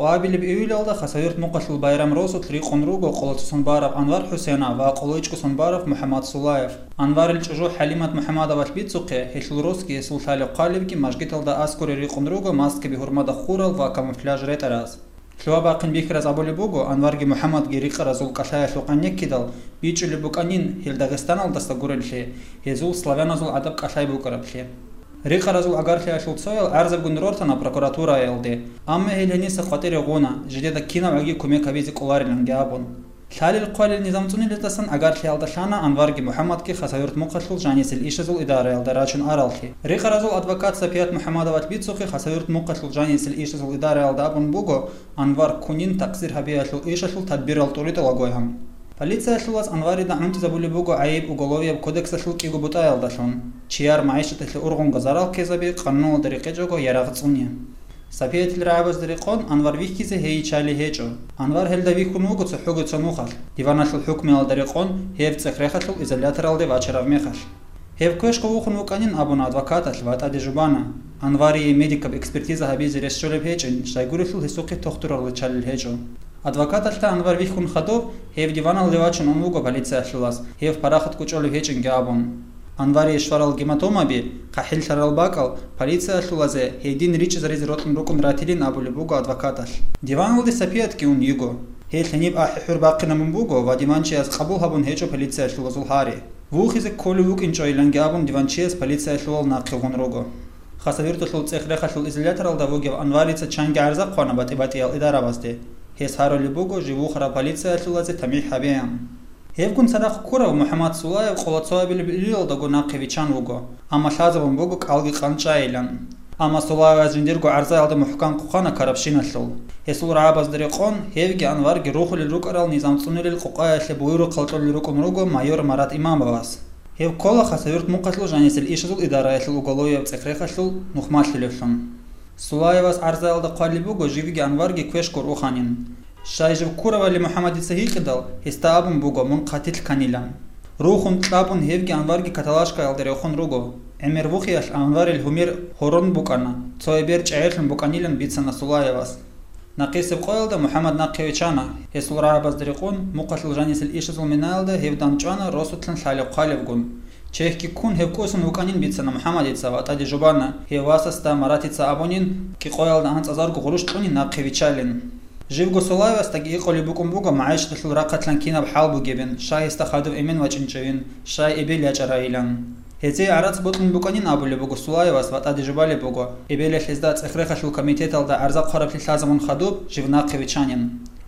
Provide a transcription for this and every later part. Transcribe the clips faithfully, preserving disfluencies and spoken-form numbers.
Абилеб июлалда Хасавюрт мухъалъул байрам росулъ рикъун руго къоло цо сон бараб Анвар ХӀусенов ва къоло ичӀго сон бараб МухӀаммад Сулаев. Анварил чӀужу ХӀалимат МухӀаммадовалъ бицухъе, гьелъул росги гьесул лъалеб-хъвалебги мажгиталда аскӀоре рикъун руго маскаби гьурмада хурал ва камуфляж ретӀараз. Лъугьа-бахъин бихьараз абулеб буго, Анварги МухӀаммадги рикъаразул кӀалъаялъухъ гӀенеккидал, бичӀчӀулеб букӀанин, гьел Дагъистаналдаса гуреллъи, гьезул славяназул гӀадаб кӀалъай букӀараблъи. Рикъаразул агарлъиялъул цоял гӀарзабигун рортана прокуратураялде, амма гьел гьениса къватӀире гъуна, жидеда кинабгӀаги кумек гьабизе кӀолариланги абун. Лъалел-хъвалел низам цӀуниялдасан агарлъиялда лъана Анварги МухӀаммадги Хасавюрт мухъалъул жанисел ишазул идараялда рачун араллъи. Рикъаразул адвокат Сапият МухӀаммадовалъ бицухъе Хасавюрт мухъалъул жанисел ишазул идараялда абун буго, Анвар ккунин такъсир гьабиялъул ишалъул тадбирал тӀуритӀулагойгьан. Полициялъулас Анварида гӀунтӀизабулеб буго гӀайиб Уголовияб кодексалъул кӀиго бутӀаялдалъун: чияр магӀишаталъе ургъунго зарал ккезаби, къануналда рекъечӀого ярагъ цӀуни. Сапиятил рагӀабазда рекъон Анвар вихьизе гьей чали гьечӀо. Анвар гьелда вихьун вуго цохӀого цо нухалъ, диваналъул хӀукмуялда рекъон гьев цӀех-рехалъул изоляторалде вачараб мехалъ. Гьев квешго вухун вукӀанин абуна адвокаталъ ва тӀаде жубана, Анварие медикаб экспертиза гьабизе рес щолеб гьечӀин, щайгурелъул гьесухъе тохтурал риччалел гьечӀо. Адвокаталъ Анвар вихьун хадуб, гьев диваналде вачун ун вуго полициялъулас, гьев парахат кӀочӀолеб гьечӀинги абун. Анварие щварал гематомаби, хъахӀиллъарал бакӀал, полициялъулазе гьедин ричӀчӀизаризе рокьун рукӀун ратилин абулеб буго адвокаталъ. Диваналде Сапиятги ун йиго. Гьел гьениб ахӀи-хӀур бахъинабун буго ва диванчияс къабул гьабун гьечӀо полициялъулазул гьари. Вухизе кколев вукӀинчӀойиланги абун диванчияс полициялъулал нахъе гъун руго. Хасавюрталъул цӀех-рехалъул изоляторалда вугев Анварица чанги гӀарза хъвана батӀи-батӀиял идарабазде. Гьес гьарулеб буго жив вухарав полициялъулазе тамихӀ гьабеян. Гьевгун цадахъ ккурав МухӀаммад Сулаев къоло цоабилеб июлалдаго нахъе виччан вуго, амма лъазабун буго кӀалги къанчӀайилан. Амма Сулаевас жиндирго гӀарзаялда мухӀкан хъвана ккарабщиналъул. Гьесул рагӀабазда рекъон, гьевги Анварги рухулел рукӀарал низам цӀунулел къукъаялъе буюрухъал кьолел рукӀун руго майор Марат Имамовас. Гьев ккола Хасавюрт мухъалъул жанисел ишазул идараялъул уголовияб цӀех-рехалъул нухмалъулевлъун. Сулаевас гӀарзаялда хъвалеб буго живги Анварги квешго руханин. Щай жив ккуравали МухӀаммадица гьикъидал, гьесда абун буго мун хъатилъ кканилан. Рухун кьабун гьевги Анварги каталажкаялда рехун руго. ГӀемер вухиялъ Анварил гьумер гьорон букӀана, цо эбер чӀегӀерлъун букӀанилан бицана Сулаевас. Нахъисеб къоялда МухӀаммад нахъе виччана, гьесул рагӀабазда рекъон, мухъалъул жанисел ишазул минаялда гьев дандчӀвана росулъан лъалеб-хъвалебгун. Чехьги ккун гьев кӀусун вукӀанин бицана МухӀаммадица ва тӀаде жубана, гьев васасда Маратица абунин, кӀикъоялда анцӀазарго гъурущ кьунин нахъе виччалин. Живго Сулаевасдаги гьикъулеб букӀун буго магӀишаталъул рахъалъан кинаб хӀал бугебин, щай гьесда хадув эмен вачӀинчӀевин, щай эбел ячӀарайилан. Гьезие гӀарац бокьун букӀанин абулеб буго Сулаевас ва тӀаде жубалеб буго, эбелалъ гьезда цӀех-рехалъул комитеталда гӀарза хъвараблъи лъазабун хадуб, жив нахъе виччанин.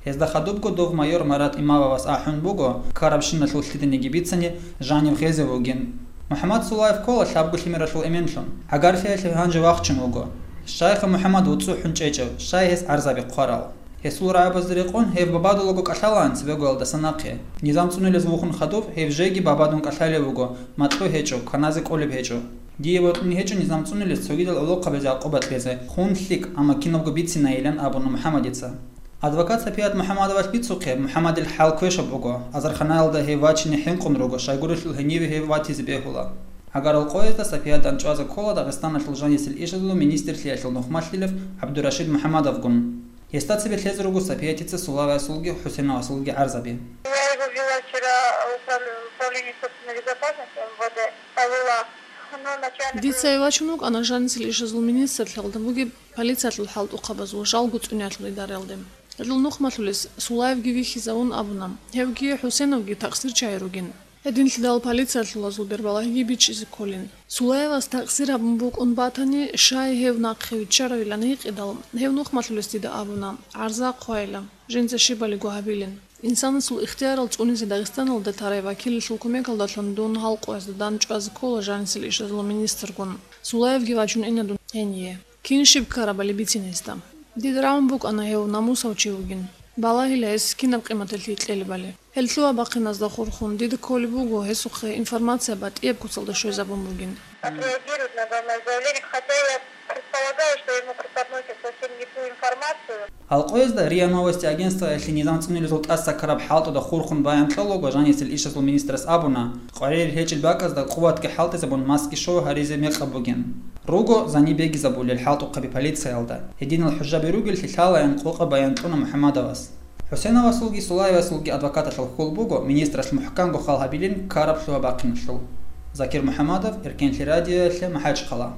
Гьезда хадубго дов майор Марат Имамовас ахӀун буго, ккарабщиналъул лъиданиги бицани, жанив гъезев вугин. МухӀаммад Сулаев ккола лъабго лъимералъул эменлъун. ГӀагарлъиялъе гьанже вахчун вуго. Щайха МухӀаммад вуцӀцӀухӀун чӀечӀев, щай гьес гӀарзаби хъварал. Гьесул рагӀабазда рекъон гьев Бабадулаго кӀалъалаан цебегоялдаса нахъе. Низам цӀунулез вухун хадуб, гьев жеги Бабадун кӀалъалев вуго, макьу гьечӀо, кваназе кӀолеб гьечӀо. Дие бокьун гьечӀо низам цӀунулез цогидал гӀолохъабазе гӀакъуба кьезе, хун лъикӀ, амма кинабго бицинайилан абуна МухӀаммадица. Адвокат Сапият МухӀаммадовалъ бицухъе, МухӀаммадил хӀал квешаб буго, азарханаялда гьев вачине хӀинкъун руго, щайгурелъул гьениве гьев ватизе бегьула. ГӀагарал къоязда Сапиятан чӀвазе ккола Дагъистаналъул жанисел ишазул министрлъиялъул нухмалъилев ГӀабдурашид МухӀаммадовгун. Гьесда цебе лъезе руго Сапиятица Сулаевасулги ХӀусеновасулги гӀарзаби. Я его вела вчера в управ-, управление собственной безопасности МВД, повела. Но начальник... Дица вачун вукӀана жанисел ишазул министрлъиялда бугеб полициялъул хӀалтӀухъабазул жалго цӀуниялъул идараялде. Гьелъул нухмалъулес Сулаевги вихьизавун абуна, гьевги ХӀусеновги такъсирчагӀи ругин. Гьединлъидал полициялъулазул бербалагьиги бичӀчӀизе кколин. Сулаевас такъсир гьабун букӀун батани, щай гьев нахъе виччаравилан гьикъидал, гьев нухмалъулес дида абуна, гӀарза хъвайила, жинца щибалиго гьабилин. Инсанасул ихтиярал цӀунизе Дагъистаналда тарай вакиллъул кумекалдалъун дун гьал къоязда дандчӀвазе ккола жанисел ишазул министргун. Сулаевги вачун ина дун гьение. Кин щиб ккарабали бицин гьесда. Дида рагӀун букӀана гьев намусав чи вугин. Балагьила гьес кинаб къиматалъи кьелебали. Гьел лъугьа-бахъиназда хурхун дида кколеб буго гьесухъе информация батӀияб куцалда щвезабун бугин. Отреагирует на данное заявление, хотя я Предполагаю, что ему преподносят совсем не ту информацию. Гьалкъоязда РИА Новости агентствоялъе низам цӀунулезул тӀаса ккараб хӀалтӀуда хурхун баян кьолаго жанисел ишазул министрас абуна, къваригӀел гьечӀел бакӀазда къуватги хӀалтӀизабун маски шов гьаризе мекъаб бугин. Руго зани бегизабулел хӀалтӀухъаби полициялда. Гьединал хӀужаби ругеллъи лъалаян къокъаб баян кьуна МухӀаммадовас. ХӀусеновасулги Сулаевасулги адвокаталъул хьул буго министралъ мухӀканго хал гьабилин ккараб лъугьа-бахъиналъул. Закир МухӀаммадов, Эркенлъи радиоялъе, МахӀачхъала.